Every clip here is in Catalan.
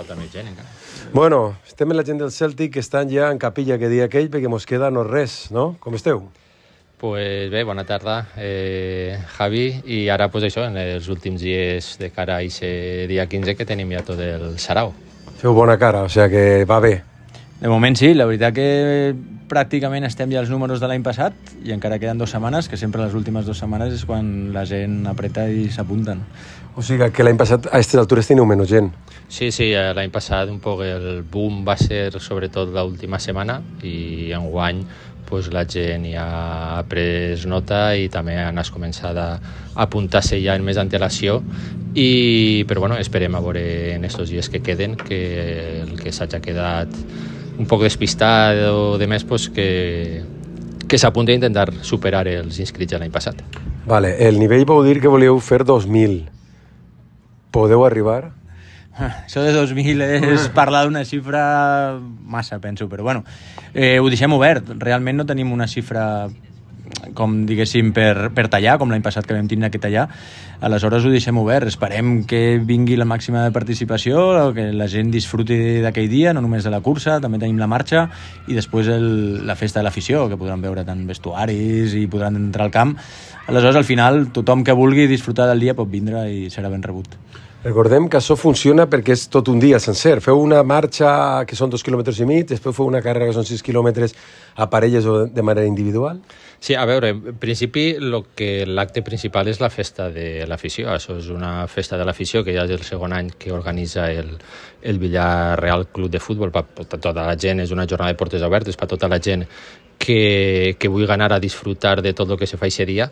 falta més gent encara. Bueno, estem amb la gent del Celtic que estan ja en capilla que dia aquell perquè mos queda no res, no? Com esteu? Pues bé, bona tarda, Javi, i ara pues això, en els últims dies de cara a aquest dia 15 que tenim ja tot el sarau. Feu bona cara, o sigui que va bé. De moment sí, la veritat que pràcticament estem ja als números de l'any passat i encara queden 2 setmanes, que sempre les últimes 2 setmanes és quan la gent apreta i s'apunten. O sigui que l'any passat a aquestes altures teniu menys gent. Sí, l'any passat un poc el boom va ser sobretot l'última setmana i enguany pues, la gent ja ha pres nota i també han començat a apuntar-se ja en més antelació però bueno, esperem a veure en aquests dies que queden que el que s'hagi quedat un poc despistat o de més pues, que s'apunti a intentar superar els inscrits de l'any passat. Vale, el nivell vau dir que volíeu fer 2.000. Podeu arribar? Això de 2.000 és parlar d'una xifra massa, penso, però bueno, ho deixem obert. Realment no tenim una xifra com diguéssim per tallar, com l'any passat que vam tindre que tallar. Aleshores ho deixem obert. Esperem que vingui la màxima de participació, que la gent disfruti d'aquell dia, no només de la cursa, també tenim la marxa i després la festa de l'afició, que podran veure tant vestuaris i podran entrar al camp. Aleshores, al final, tothom que vulgui disfrutar del dia pot vindre i serà ben rebut. Recordem que això funciona perquè és tot un dia sencer. Feu una marxa que són 2,5 quilòmetres, després feu una carrera que són 6 quilòmetres a parelles o de manera individual? Sí, a veure, en principi l'acte principal és la festa de l'afició. Això és una festa de l'afició que ja és el segon any que organitza el Villarreal Club de Futbol per tota la gent. És una jornada de portes obertes per tota la gent que vulgui anar a disfrutar de tot el que se fa aquest dia.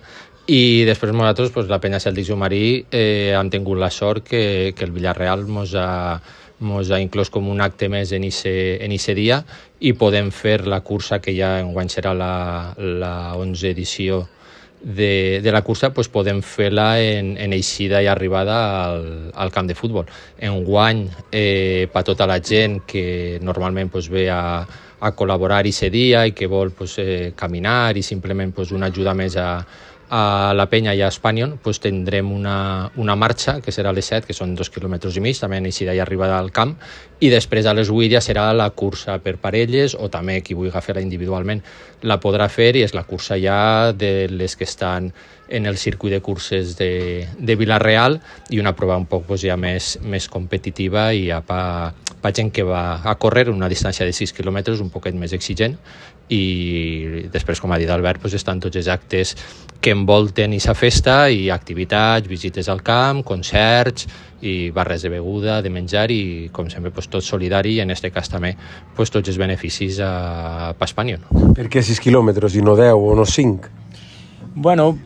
I després nosaltres, pues, la penya Celtics Jumarí, hem tingut la sort que el Villarreal mos ha inclòs com un acte més en aquest dia i podem fer la cursa que ja enguany serà la 11ª edició de la cursa, pues podem fer-la en eixida i arribada al camp de futbol. Enguany, per tota la gent que normalment pues, ve a col·laborar aquest dia i que vol pues, caminar i simplement pues, una ajuda més a la penya i a Espanyol, pues, tindrem una marxa que serà a les 7, que són 2,5 quilòmetres, també en eixida i arribada al camp, i després a les 8 ja serà la cursa per parelles o també qui vulgui fer-la individualment la podrà fer i és la cursa ja de les que estan en el circuit de curses de Vilareal i una prova un poc pues, ja més competitiva i ja per gent que va a córrer una distància de 6 quilòmetres un poquet més exigent i després, com ha dit Albert, pues, estan tots els actes que envolten aquesta festa i activitats, visites al camp, concerts i barres de beguda, de menjar i, com sempre, pues, tot solidari i en aquest cas també pues, tots els beneficis per Espanyol. Per què 6 quilòmetres i no 10 o no 5? Bueno,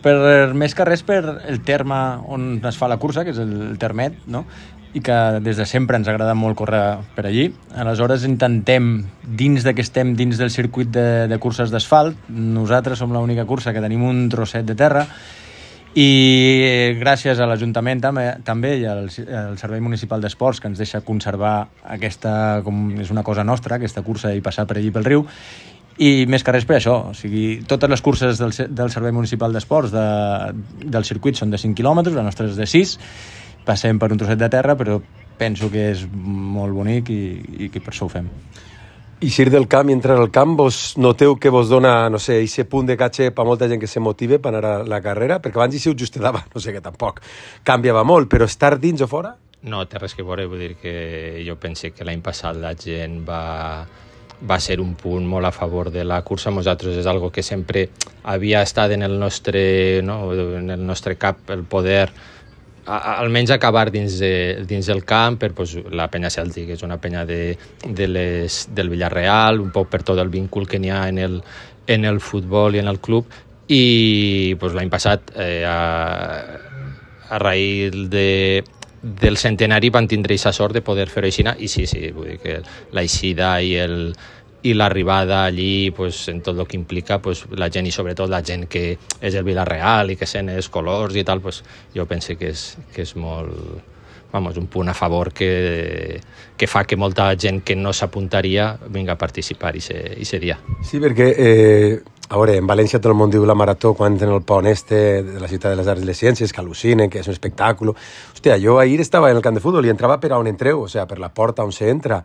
més que res per el terme on es fa la cursa, que és el termet, no? I que des de sempre ens agrada molt córrer per allí. Aleshores intentem, dins que estem dins del circuit de curses d'asfalt, nosaltres som l'única cursa que tenim un trosset de terra i gràcies a l'Ajuntament també i al Servei Municipal d'Esports que ens deixa conservar aquesta, com és una cosa nostra, aquesta cursa i passar per allí pel riu. I més que res per això, o sigui, totes les curses del Servei Municipal d'Esports del circuit són de 5 quilòmetres, la nostra és de 6, passem per un trosset de terra, però penso que és molt bonic i que per això ho fem. I si del camp i entrar al camp, vos noteu que vos dona, no sé, aquest punt de caché per molta gent que se motive per anar a la carrera? Perquè abans hi siu just davant, no sé, que tampoc canviava molt, però estar dins o fora? No, té res que veure, vull dir que jo pense que l'any passat la gent va ser un punt molt a favor de la cursa. Nosaltres és algo que sempre havia estat en el nostre cap, el poder almenys acabar dins del camp per pues, la penya Celtic, és una penya del Villarreal, un poc per tot el vincul que n'hi ha en el futbol i en el club i pues, l'any passat a raïs del centenari van tindre aquesta sort de poder fer-ho així i sí, vull dir que l'eixida i l'arribada allí, pues, en tot el que implica pues, la gent i sobretot la gent que és el Vilareal i que sent els colors i tal, pues, jo penso que és molt, un punt a favor que fa que molta gent que no s'apuntaria vinga a participar aquest dia. Sí, perquè A veure, en València tot el món diu la marató quan en el pont de la ciutat de les arts i les ciències, que al·lucinen, que és un espectacle. Hòstia, jo ahir estava en el camp de futbol i entrava per on entreu, o sigui, per la porta on s'entra.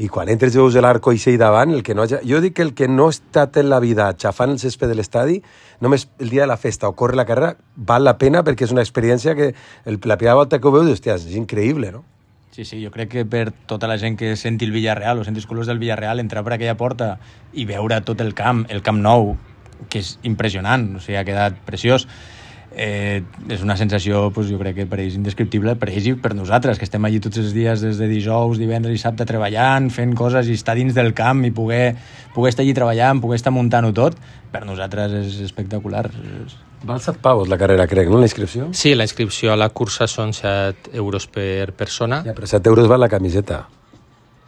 I quan entres veus l'arco i sei davant, jo dic que el que no ha estat en la vida xafant el césped de l'estadi, només el dia de la festa o corre la carrera, val la pena perquè és una experiència que la primera volta que ho veus, hòstia, és increïble, no? Sí, jo crec que per tota la gent que senti el Villarreal o senti els colors del Villarreal, entrar per aquella porta i veure tot el Camp Nou, que és impressionant, o sigui, ha quedat preciós. És una sensació, jo crec que per ells indescriptible, per ells i per nosaltres, que estem allí tots els dies des de dijous, divendres i sabte treballant, fent coses i estar dins del camp i poder estar allí treballant, poder estar muntant-ho tot, per nosaltres és espectacular. Val 7 pavos la carrera, crec, no, la inscripció? Sí, la inscripció a la cursa són 7 euros per persona. Ja, però 7 euros val la camiseta.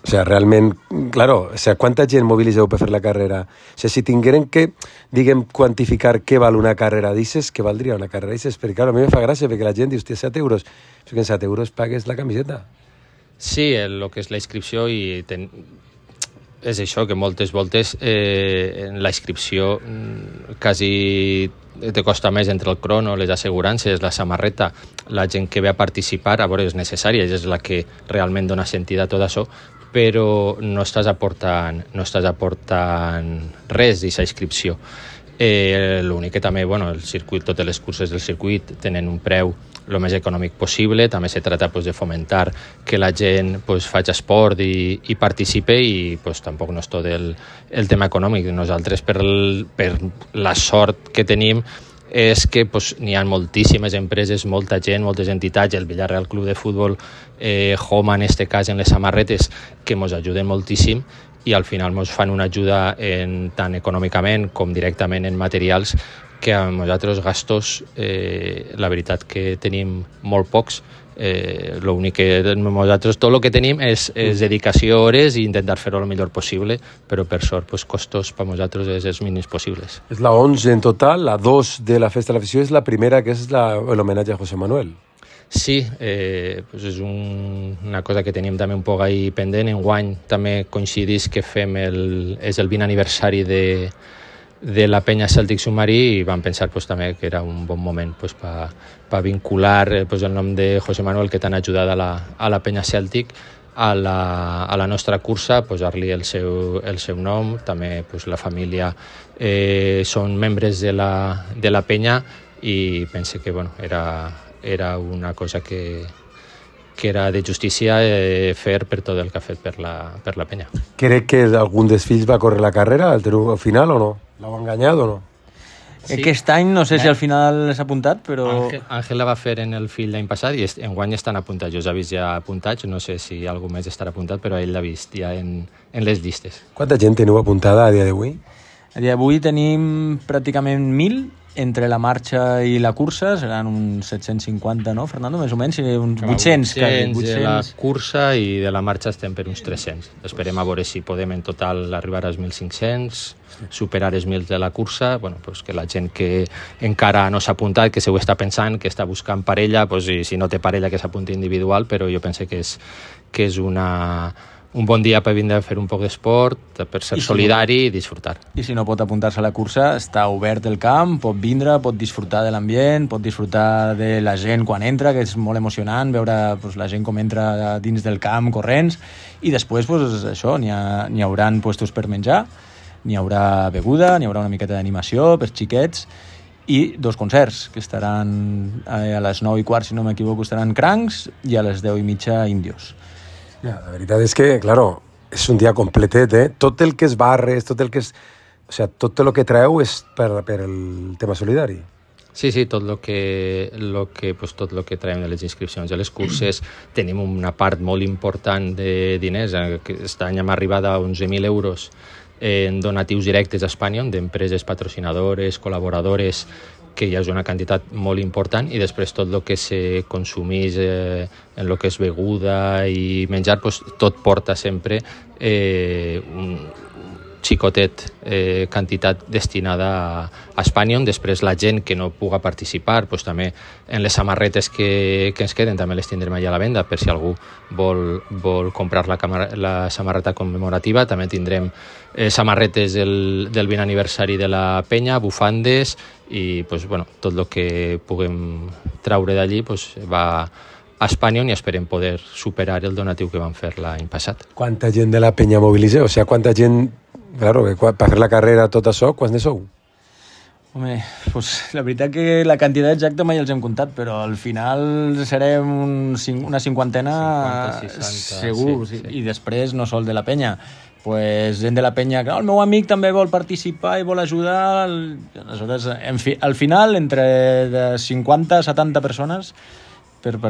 O sea, realment, claro, o sea, quanta gent mobilitzeu per fer la carrera? O sea, si tingueren que, diguem, quantificar què val una carrera, dices que valdria una carrera, dices, perquè, claro, a mi me fa gràcia, perquè la gent diu, hòstia, 7 euros, però que en 7 euros pagues la camiseta. Sí, el que és la inscripció és això, que moltes voltes la inscripció quasi te costa més entre el crono, les assegurances, la samarreta, la gent que ve a participar, a veure, és necessària, és la que realment dona sentit a tot això, però no estàs aportant res d'aquesta inscripció. L'únic que també, el circuit, totes les curses del circuit tenen un preu el més econòmic possible, també se trata de fomentar que la gent faci esport i participe i tampoc no és tot el tema econòmic. Nosaltres, per la sort que tenim, és que n'hi ha moltíssimes empreses, molta gent, moltes entitats, el Villarreal Club de Futbol, Homa en este cas en les samarretes, que ens ajuden moltíssim i al final ens fan una ajuda tant econòmicament com directament en materials, que a nosaltres gastos, la veritat que tenim molt pocs. L'únic que nosaltres, tot el que tenim és dedicació, hores i intentar fer-ho el millor possible, però per sort costos per nosaltres és els mínims possibles. És la 11 en total, la 2 de la Festa de l'Afició és la primera, que és l'homenatge a José Manuel. Sí, és una cosa que tenim també un poc ahí pendent. Enguany també coincidís que és el 20 aniversari de la penya Cèltic Submarí i vam pensar també que era un bon moment per vincular el nom de José Manuel, que t'han ajudat a la penya Cèltic, a la nostra cursa, posar-li el seu nom. També la família són membres de la penya i pense que era una cosa que era de justícia fer per tot el que ha fet per la penya. Crec que algun dels fills va córrer la carrera al final o no? L'heu enganyat o no? Sí. Aquest any no sé si al final s'ha apuntat, però... Àngel la va fer en el fill l'any passat i enguany estan apuntats. Jo s'ha vist ja apuntats, no sé si algú més estarà apuntat, però ell l'ha vist ja en les llistes. Quanta gent teniu apuntada a dia d'avui? A dia d'avui tenim pràcticament 1.000. Entre la marxa i la cursa seran uns 750, no, Fernando? Més o menys, uns 800. 800 de la cursa i de la marxa estem per uns 300. Esperem a veure si podem en total arribar als 1.500, superar els 1.000 de la cursa, que la gent que encara no s'ha apuntat, que se ho està pensant, que està buscant parella, i si no té parella que s'apunti individual, però jo penso que és un bon dia per vindre a fer un poc d'esport, per ser solidari i disfrutar. I si no pot apuntar-se a la cursa, està obert el camp, pot vindre, pot disfrutar de l'ambient, pot disfrutar de la gent quan entra, que és molt emocionant veure la gent com entra dins del camp corrents, i després això, n'hi haurà puestos per menjar, n'hi haurà beguda, n'hi haurà una miqueta d'animació per xiquets, i 2 concerts, que estaran a les 9:15, si no m'equivoco, estaran Crancs, i a les 10:30 Indios. Ja, la veritat és que, claro, és un dia completet, Tot el que és barres, tot el que és... O sigui, tot el que treu és per el tema solidari. Sí, tot el que traiem de les inscripcions de les curses. Tenim una part molt important de diners. Aquest any hem arribat a 11.000 euros en donatius directes a Espanya, d'empreses patrocinadores, col·laboradores, que ja és una quantitat molt important, i després tot el que se consumís en el que és beguda i menjar, tot porta sempre xicotet quantitat destinada a Spanion. Després la gent que no puga participar, doncs també en les samarretes que ens queden també les tindrem allà a la venda per si algú vol comprar la samarreta commemorativa. També tindrem samarretes del 20 aniversari de la penya, bufandes i doncs, bueno, tot el que puguem traure d'allí doncs, va a Spanion i esperem poder superar el donatiu que vam fer l'any passat. Quanta gent de la penya mobiliseu? O sigui, quanta gent, claro, que per fer la carrera tot això, quants ne sou? Home, pues, la veritat que la quantitat exacta mai els hem comptat, però al final serem una cinquantena 50, 60, segur, sí. I després no sol de la penya. Pues gent de la penya, que el meu amic també vol participar i vol ajudar, aleshores, al final, entre 50 a 70 persones per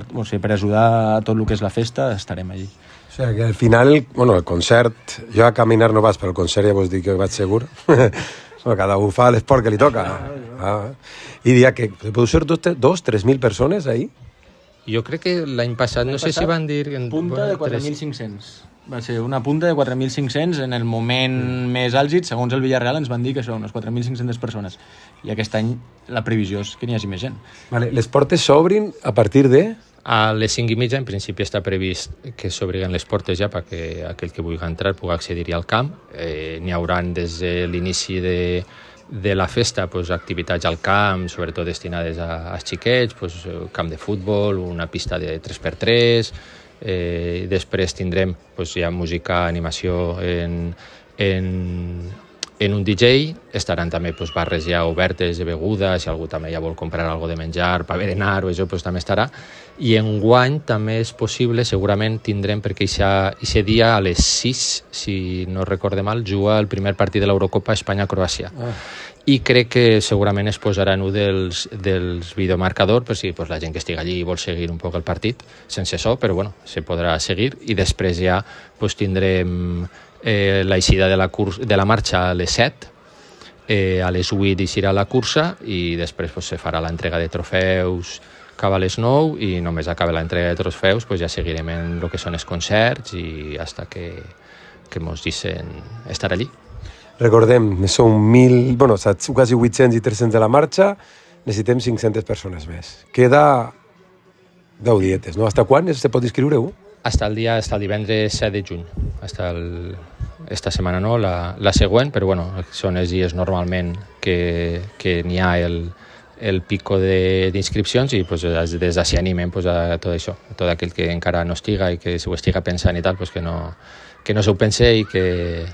ajudar a tot el que és la festa, estarem allí. O sigui, que al final, bueno, el concert, jo a caminar no vas, però el concert ja vos dic que vaig segur. Cada un fa l'esport que li toca. I dia que podeu ser 2-3.000 persones ahí? Jo crec que l'any passat, no sé si van dir... Punta de 4.500. Va ser una punta de 4.500 en el moment més àlgid, segons el Villarreal ens van dir que són unes 4.500 persones. I aquest any la previsió és que n'hi hagi més gent. Vale, les portes s'obrin a partir de... A les 5:30 en principi està previst que s'obriguen les portes ja perquè aquell que vulgui entrar pugui accedir-hi al camp. N'hi haurà des de l'inici de la festa pues, activitats al camp, sobretot destinades als xiquets, pues, camp de futbol, una pista de 3x3, després tindrem pues, ja música, animació en un DJ, estaran també pues, barres ja obertes de beguda, si algú també ja vol comprar alguna de menjar per berenar o això pues, també estarà. I enguany també és possible, segurament tindrem, perquè aquest dia a les 6, si no recorde mal, juga el primer partit de l'Eurocopa Espanya-Croàcia. I crec que segurament es posarà en un dels videomarcadors per si pues, la gent que estigui allí vol seguir un poc el partit, sense so, però bueno, se podrà seguir. I després ja pues, tindrem l'eixida de la marxa a les 7, a les 8 eixirà la cursa i després pues, se farà l'entrega de trofeus cap a les 9 i només acaba l'entrega de trofeus pues, ja seguirem en el que són els concerts i hasta que mos deixen estar allí. Recordem, són quasi 800 i 300 de la marxa, necessitem 500 persones més. Queda 10 dietes, no? Hasta quan se pot inscriure-ho? Hasta el divendres 7 de juny. Esta setmana no, la següent, però bueno, són els dies normalment que n'hi ha el pico d'inscripcions i pues, des d'ací animem pues, a tot això, a tot aquell que encara no estiga i que si ho estiga pensant i tal, pues, que no s'ho pense i que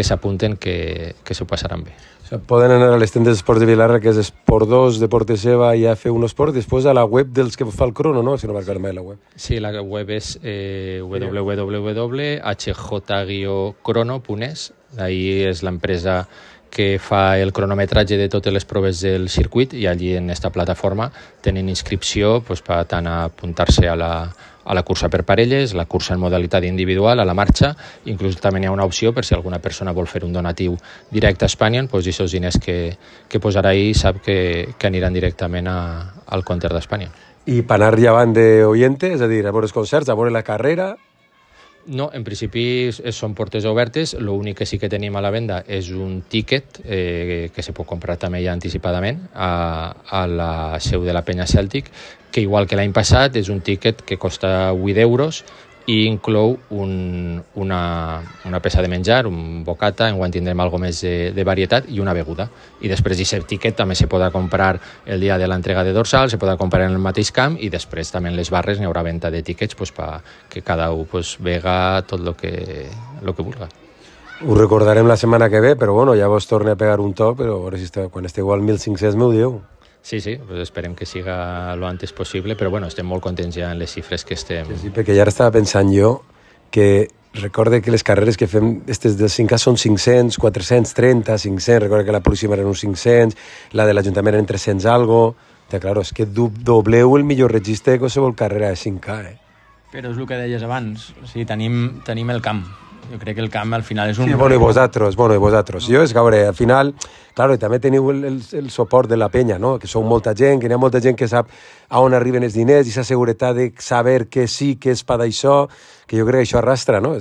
s'apunten que s'ho passaran bé. O sea, poden anar a les tendes d'esports de Vilarra, que és Esport 2, Deporte Seva i F1 Esport, després a la web dels que fa el crono, no? Si no m'acordo mai la web. Sí, la web és www.hj-crono.es. Ahí és l'empresa que fa el cronometratge de totes les proves del circuit i allí en esta plataforma tenen inscripció pues, per tant apuntar-se a la cursa per parelles, la cursa en modalitat individual, a la marxa, inclús també hi ha una opció per si alguna persona vol fer un donatiu directe a Spanion, doncs aquests diners que posarà ahí sap que aniran directament al compte d'Espanya. I per anar llevant d'oyente, és a dir, a veure els concerts, a veure la carrera... No, en principi són portes obertes, l'únic que sí que tenim a la venda és un tíquet que se pot comprar també ja anticipadament a la seu de la Penya Cèltic, que igual que l'any passat és un tíquet que costa 8 euros i inclou una peça de menjar, un bocata, enguany tindrem alguna més de varietat i una beguda. I després d'aquest tíquet també se podrà comprar el dia de l'entrega de dorsal, se podrà comprar en el mateix camp i després també en les barres n'hi haurà venda de tíquets pues, que cada un pues, vega tot el que vulga. Ho recordarem la setmana que ve, però bueno, ja vos torne a pegar un toc, però a veure si quan esteu al 1.500 m'ho dieu. Sí, pues esperem que siga lo antes possible, però bueno, estem molt contents ja en les xifres que estem... Sí, perquè ja estava pensant jo que recorde que les carreres que fem aquestes del 5K són 500, 430, 500, recorde que la pròxima eren uns 500, la de l'Ajuntament eren 300 algo, claro, és que dobleu el millor registre de qualsevol carrera de 5K, Però és el que deies abans, o sigui, tenim el camp. Jo crec que el camp al final és un... Sí, bueno, i vosaltres. Jo és que, a veure, al final, claro, també teniu el suport de la penya, no? Que sou molta gent, que n'hi ha molta gent que sap a on arriben els diners i la seguretat de saber què sí, què és per d'això, que jo crec que això arrastra, no?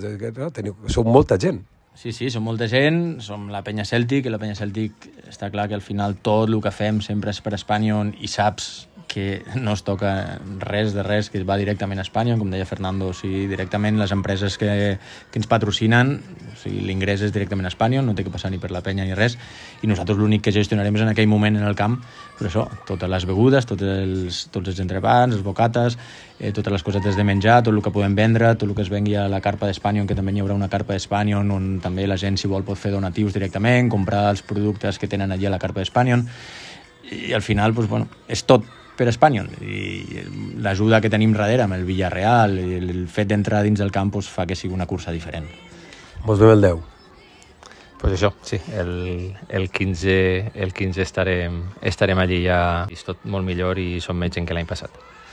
Sou molta gent. Sí, som molta gent, som la penya Cèltic, i la penya Cèltic està clar que al final tot el que fem sempre és per Espanyol i saps que no es toca res de res, que va directament a Espanya, com deia Fernando, o sigui, directament les empreses que ens patrocinen, o sigui, l'ingrés és directament a Espanya, no té que passar ni per la penya ni res, i nosaltres l'únic que gestionarem és en aquell moment en el camp, però això, totes les begudes, tots els entrepans, els bocates, totes les cosetes de menjar, tot el que podem vendre, tot el que es vengui a la carpa d'Espanya, que també hi haurà una carpa d'Espanya on també la gent, si vol, pot fer donatius directament, comprar els productes que tenen allí a la carpa d'Espanya, i al final, doncs, bueno, és tot per Espanyol, i l'ajuda que tenim darrere amb el Villarreal, el fet d'entrar dins del campus fa que sigui una cursa diferent. Mos vem el 10. Pues això, sí, el 15 estarem allí ja, és tot molt millor i som més gent que l'any passat.